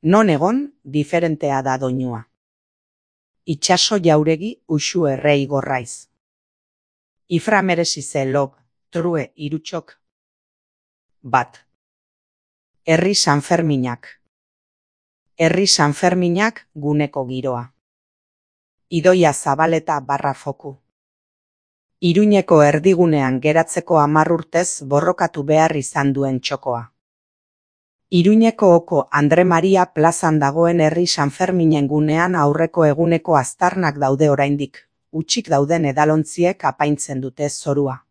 Non egon, diferentea da doinua. Itxaso jauregi uxu errei gorraiz. Ifra merezi ze lob, true irutxok. Bat. Herri Sanferminak. Herri Sanferminak guneko giroa. Idoia Zabaleta /foku. Iruñeko erdigunean geratzeko 10 urtez borrokatu behar izan duen txokoa. Iruñeko oko Andre Maria plazan dagoen herri Sanferminen gunean aurreko eguneko aztarnak daude oraindik, utxik dauden edalontziek apaintzen dute zorua.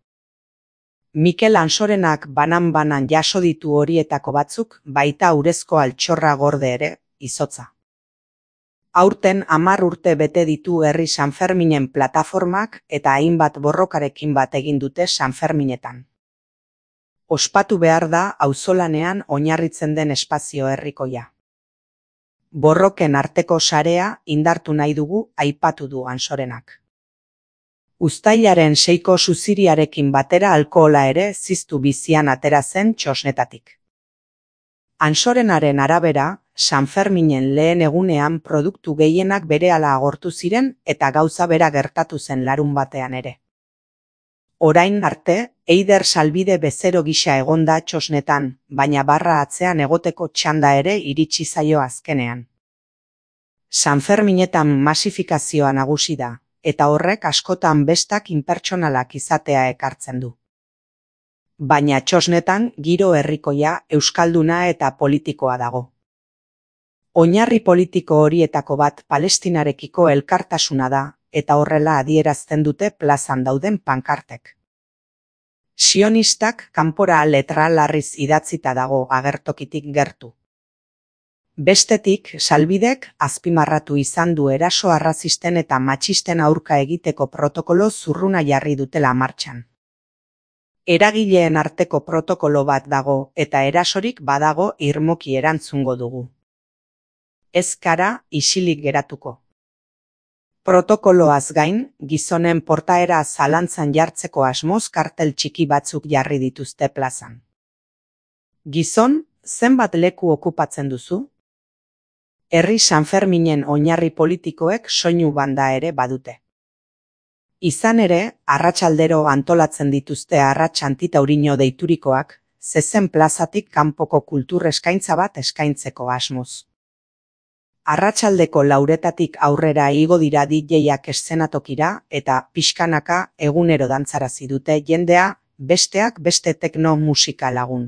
Mikel Ansorenak banan-banan jaso ditu horietako batzuk, baita urezko altxorra gorde ere, izotza. Aurten 10 urte bete ditu herri Sanferminen plataformak eta hainbat borrokarekin bat egin dute Sanferminetan. Ospatu behar da auzolanean oinarritzen den espazio herrikoia. Borroken arteko sarea indartu nahi dugu aipatu du Ansorenak. Uztailaren 6ko suziriarekin batera alkohola ere ziztu bizian atera zen txosnetatik. Ansorenaren arabera, Sanferminen lehen egunean produktu gehienak berehala agortu ziren eta gauza bera gertatu zen larunbatean ere. Orain arte, Eider Salbide bezero gisa egonda txosnetan, baina barra atzean egoteko txanda ere iritsi zaio azkenean. Sanferminetan masifikazioa nagusi da, eta horrek askotan bestak inpertsonalak izatea ekartzen du. Baina txosnetan giro herrikoia, euskalduna eta politikoa dago. Oinarri politiko horietako bat Palestinarekiko elkartasuna da, eta horrela adierazten dute plazan dauden pankartek. Sionistak kanpora letra larriz idatzita dago agertokitik gertu. Bestetik, Salbidek azpimarratu izan du eraso arrazisten eta matxisten aurka egiteko protokolo zurruna jarri dutela martxan. Eragileen arteko protokolo bat dago eta erasorik badago irmoki erantzungo dugu. Ez gara isilik geratuko. Protokoloaz gain, gizonen portaera zalantzan jartzeko asmoz kartel txiki batzuk jarri dituzte plazan. Gizon, zenbat leku okupatzen duzu? Herri Sanferminen oinarri politikoek soinu banda ere badute. Izan ere, arratsaldero antolatzen dituzte arrats antitaurino deiturikoak, zezen plazatik kanpoko kultur eskaintza bat eskaintzeko asmoz. Arratsaldeko 4etatik aurrera igo dira DJak eszenatokira eta pixkanaka egunero dantzarazi dute jendea, besteak beste tekno musika lagun.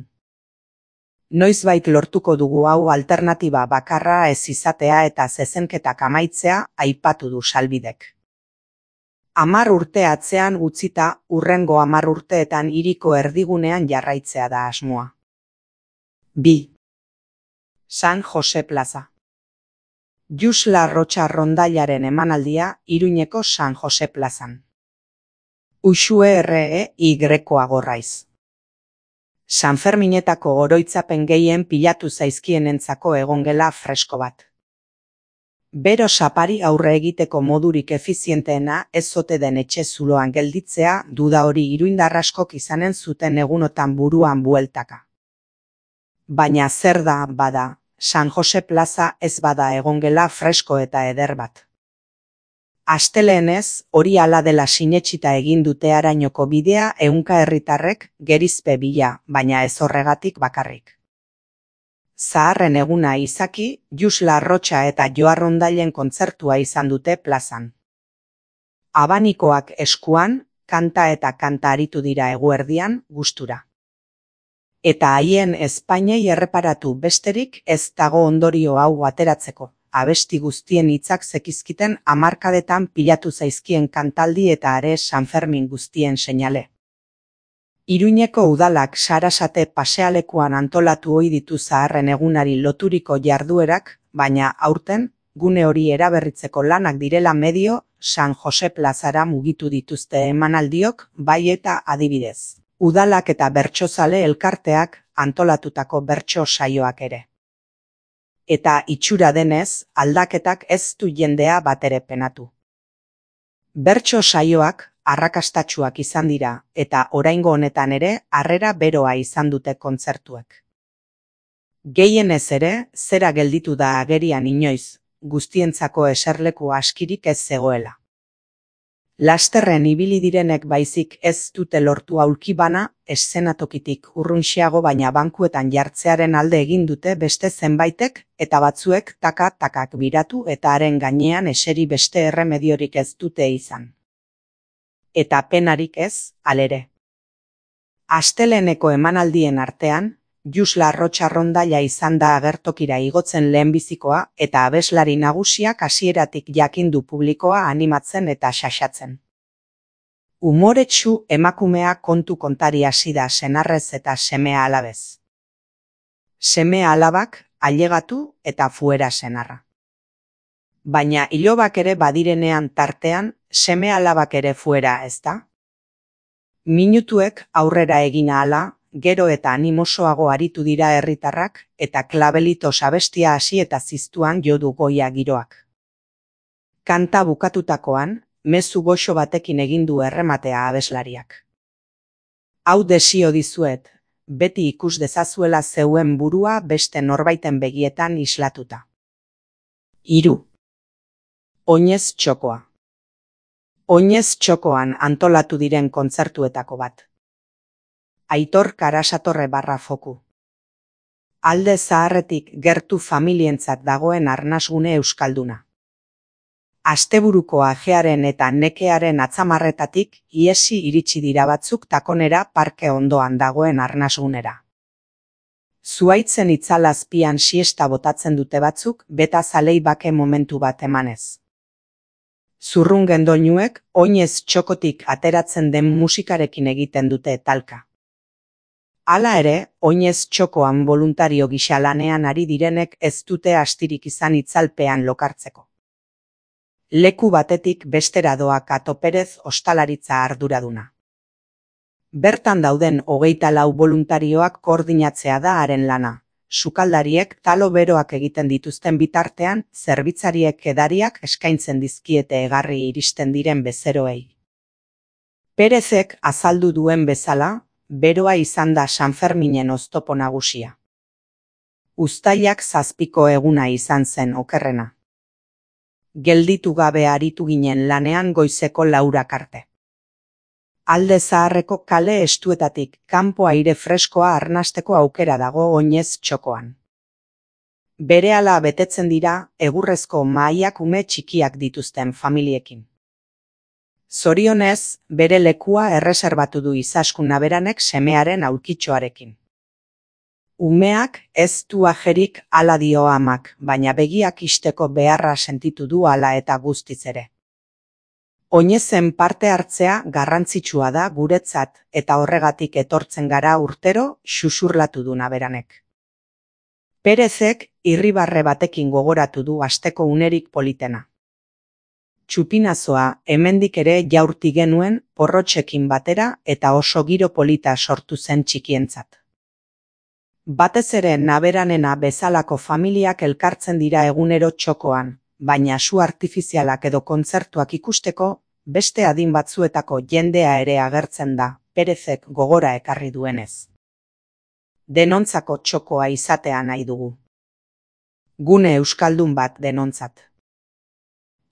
Noizbait lortuko dugu hau alternatiba bakarra ez izatea eta zezenketak amaitzea aipatu du Salbidek. 10 urte atzean utzita hurrengo 10 urteetan hiriko erdigunean jarraitzea da asmoa. 2. San Jose plaza. Jusla Rocha Rondailaren emanaldia Iruñeko San Jose plazan. Uxue REY Gorraiz. Sanferminetako oroitzapen gehien pilatu zaizkienentzako egongela fresko bat. Bero sapari aurre egiteko modurik efizienteena ez ote den etxe zuloan gelditzea duda hori iruindar askok izanen zuten egunotan buruan bueltaka. Baina zer da bada, San Jose plaza ez bada egongela fresko eta eder bat. Asteleenez, hori hala dela sinetsita egin dute Arañoko bidea ehunka herritarrek gerizpe bila, baina ez horregatik bakarrik. Zaharren eguna izaki, Jusla Rocha eta Joa Rondailen kontzertua izan dute plazan. Abanikoak eskuan, kanta eta kanta aritu dira eguerdian, gustura. Eta haien ezpainei erreparatu besterik ez dago ondorio hau ateratzeko. Abesti guztien hitzak zekizkiten hamarkadetan pilatu zaizkien kantaldi eta are Sanfermin guztien seinale. Iruñeko udalak Sarasate pasealekuan antolatu ohi ditu zaharren egunari loturiko jarduerak, baina aurten, gune hori eraberritzeko lanak direla medio, San Jose plazara mugitu dituzte emanaldiok, bai eta adibidez. Udalak eta bertsozale elkarteak antolatutako bertso saioak ere. Eta itxura denez, aldaketak ez du jendea batere penatu. Bertso saioak arrakastatsuak izan dira, eta oraingo honetan ere harrera beroa izan dute kontzertuek. Gehienez ere, zera gelditu da agerian inoiz, guztientzako eserleku askirik ez zegoela. Lasterren ibili direnek baizik ez dute lortu aulki bana, eszenatokitik urrunxiago baina bankuetan jartzearen alde egin dute beste zenbaitek, eta batzuek takak biratu eta haren gainean eseri beste erremediorik ez dute izan. Eta penarik ez, halere. Asteleneko emanaldien artean, Jusla Arrotxarrondaia izan da agertokira igotzen lehenbizikoa eta abeslari nagusiak hasieratik jakindu publikoa animatzen eta xaxatzen. Umoretsu emakumea kontu kontari hasi da senarrez eta semea alabez. Semea alabak ailegatu eta fuera senarra. Baina ilobak ere badirenean tartean, semea alabak ere fuera, ezta? Minutuek aurrera egin ahala, gero eta animosoago aritu dira herritarrak eta klabelitos abestia hasi eta ziztuan jo du goia giroak. Kanta bukatutakoan, mezu goxo batekin egin du errematea abeslariak. Hau desio dizuet, beti ikus dezazuela zeuen burua beste norbaiten begietan islatuta. 3. Oinez txokoa. Oinez txokoan antolatu diren kontzertuetako bat. Aitor Karasatorre /foku. Alde zaharretik gertu familientzat dagoen arnasgune euskalduna. Asteburuko ajearen eta nekearen atzamarretatik iesi iritsi dira batzuk takonera parke ondoan dagoen arnasgunera. Zuaitzen itzalazpian siesta botatzen dute batzuk beta zalei bake momentu bat emanez. Zurrungen doinuek oinez txokotik ateratzen den musikarekin egiten dute talka. Hala ere, oinez txokoan boluntario gisa lanean ari direnek ez dute astirik izan itzalpean lokartzeko. Leku batetik bestera doa Kato Perez ostalaritza arduraduna. Bertan dauden 24 boluntarioak koordinatzea da haren lana. Sukaldariek talo beroak egiten dituzten bitartean, zerbitzariek edariak eskaintzen dizkiete egarri iristen diren bezeroei. Perezek azaldu duen bezala, beroa izan da Sanferminen oztopo nagusia. Uztailak 7ko eguna izan zen okerrena. Gelditu gabe aritu ginen lanean goizeko 4 arte. Alde zaharreko kale estuetatik kanpo aire freskoa arnasteko aukera dago oinez txokoan. Berehala betetzen dira egurrezko mahaiak ume txikiak dituzten familiekin. Zorionez, bere lekua erreserbatu du Izaskun Aberanek semearen aulkitxoarekin. Umeak ez du ajerik hala dio amak, baina begiak isteko beharra sentitu du hala eta guztiz ere. Oinezen parte hartzea garrantzitsua da guretzat eta horregatik etortzen gara urtero xuxurlatu du Aberanek. Perezek irribarre batekin gogoratu du asteko unerik politena. Txupinazoa hemendik ere jaurti genuen porrotxekin batera eta oso giro polita sortu zen txikientzat. Batez ere Naberanena bezalako familiak elkartzen dira egunero txokoan, baina su artifizialak edo kontzertuak ikusteko, beste adin batzuetako jendea ere agertzen da, Perezek gogora ekarri duenez. Denontzako txokoa izatea nahi dugu. Gune euskaldun bat denontzat.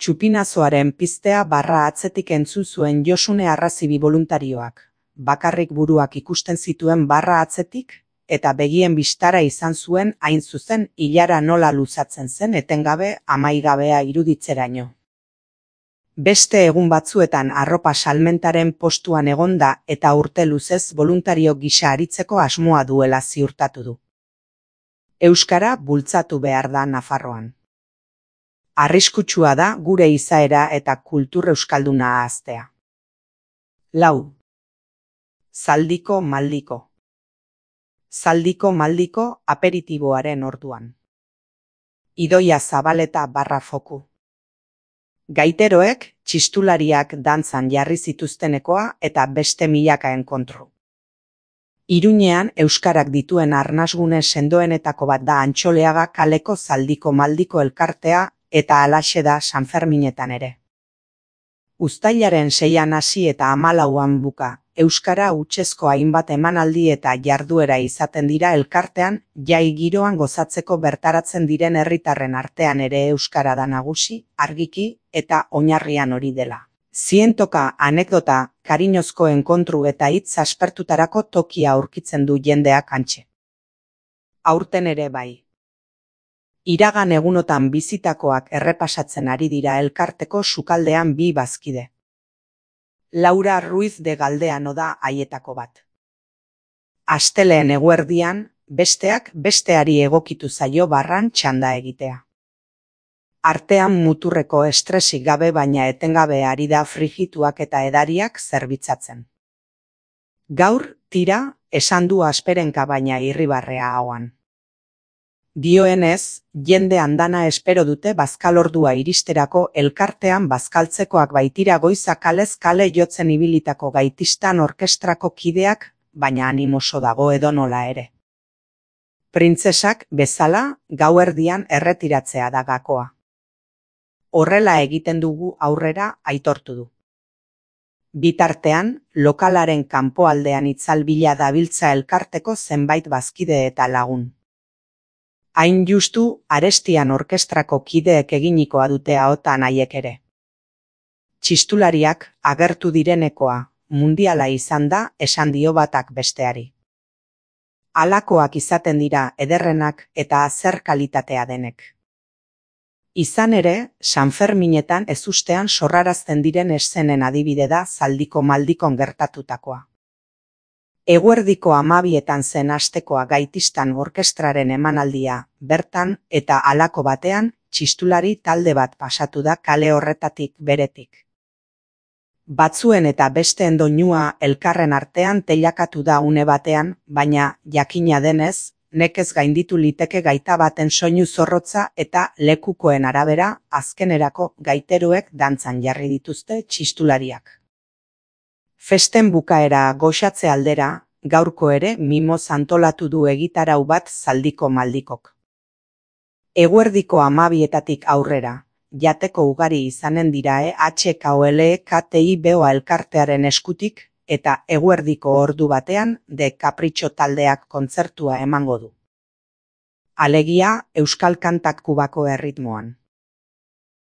Txupinazoaren piztea barra atzetik entzun zuen Josune Arrazibi boluntarioak, bakarrik buruak ikusten zituen barra atzetik, eta begien bistara izan zuen hain zuzen ilara nola luzatzen zen etengabe amaigabea iruditzeraino. Beste egun batzuetan arropa salmentaren postuan egonda eta urte luzez voluntario gisa aritzeko asmoa duela ziurtatu du. Euskara bultzatu behar da Nafarroan. Arriskutsua da gure izaera eta kultur euskalduna ahaztea. 4. Zaldiko maldiko. Zaldiko maldiko aperitiboaren orduan. Idoia Zabaleta /foku. Gaiteroek, txistulariak dantzan jarri zituztenekoa eta beste milakaen kontro. Iruñean euskarak dituen arnasgune sendoenetako bat da Antxoleaga kaleko Zaldiko maldiko elkartea eta halaxe da Sanferminetan ere. Uztailaren 6an hasi eta 14an buka, euskara hutsezko hainbat emanaldi eta jarduera izaten dira elkartean, jai giroan gozatzeko bertaratzen diren herritarren artean ere euskara da nagusi, argiki eta oinarrian hori dela. Zientoka, anekdota, kariñozko enkontru eta hitz aspertutarako tokia aurkitzen du jendeak hantxe. Aurten ere bai. Iragan egunotan bizitakoak errepasatzen ari dira elkarteko sukaldean bi bazkide. Laura Ruiz de Galdeano da haietako bat. Asteleen eguerdian, besteak besteari egokitu zaio barran txanda egitea. Artean muturreko estresik gabe baina etengabe ari da frigituak eta edariak zerbitzatzen. Gaur, tira, esan du asperenka baina irribarrea ahoan. Dioenez, jende andana espero dute bazkalordua iristerako elkartean bazkaltzekoak baitira goiza kalez kale jotzen ibilitako gaitistan orkestrako kideak, baina animoso dago edonola ere. Printzesak bezala gauerdian erretiratzea da gakoa. Horrela egiten dugu aurrera aitortu du. Bitartean, lokalaren kanpoaldean itzalbila dabiltza elkarteko zenbait bazkide eta lagun. Hain justu, Arestian orkestrako kideek eginikoa dute ahotan haiek ere. Txistulariak agertu direnekoa, mundiala izan da esan dio batak besteari. Halakoak izaten dira ederrenak eta zer kalitatea denek. Izan ere, Sanferminetan ezustean sorrarazten diren eszenen adibide da zaldiko maldikon gertatutakoa. Eguerdiko 12etan zen astekoa gaitistan orkestraren emanaldia, bertan eta halako batean, txistulari talde bat pasatu da kale horretatik beretik. Batzuen eta besteen doinua elkarren artean teilakatu da une batean, baina jakina denez, nekez gainditu liteke gaita baten soinu zorrotza eta lekukoen arabera azkenerako gaiteroek dantzan jarri dituzte txistulariak. Festen bukaera goxatze aldera, gaurko ere mimoz antolatu du egitarau bat zaldiko maldikok. Eguerdiko 12etatik aurrera, jateko ugari izanen dira HKOLE-KTIBOA elkartearen eskutik, eta eguerdiko ordu batean de Kapritxo taldeak kontzertua emango du. Alegia, euskal kantak Kubako erritmoan.